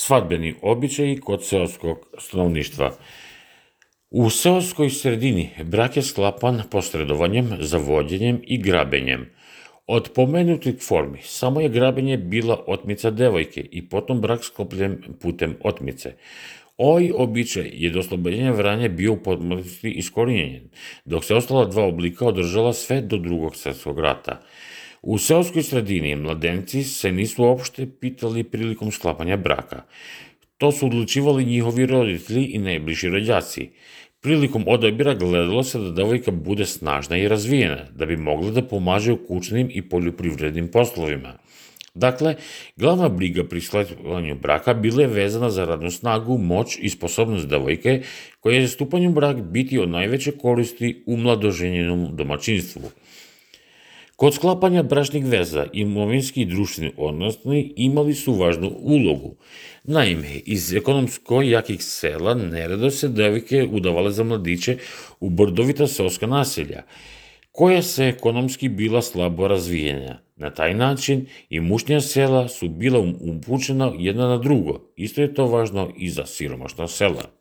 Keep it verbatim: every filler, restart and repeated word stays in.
Svadbeni običaji kod seoskog stanovništva. U seoskoj sredini brak je sklapan posredovanjem, zavodjenjem i grabenjem. Od pomenutih formi samo je grabenje bila otmica devojke i potom brak sklopljen putem otmice. Ovaj običaj je do oslobođenja Vranja bio u potpunosti iskorijenjen, dok se ostala dva oblika održala sve do Drugog svetskog rata. U seoskoj sredini mladenci se nisu uopšte pitali prilikom sklapanja braka. To su odlučivali njihovi roditelji i najbliži rođaci. Prilikom odabira gledalo se da devojka bude snažna i razvijena, da bi mogla da pomaže u kućnim i poljoprivrednim poslovima. Dakle, glavna briga pri sklapanju braka bila je vezana za radnu snagu, moć i sposobnost devojke, koja je stupanjem brak biti od najveće koristi u mladoženjenom domaćinstvu. Kod sklapanja bračnih veza imovinski i društveni odnosi imali su važnu ulogu. Naime, iz ekonomsko jakih sela neredo se devojke udavale za mladiće u brdovita seoska naselja, koja se ekonomski bila slabo razvijena. Na taj način i mušnja sela su bila upućena jedna na drugo. Isto je to važno i za siromašna sela.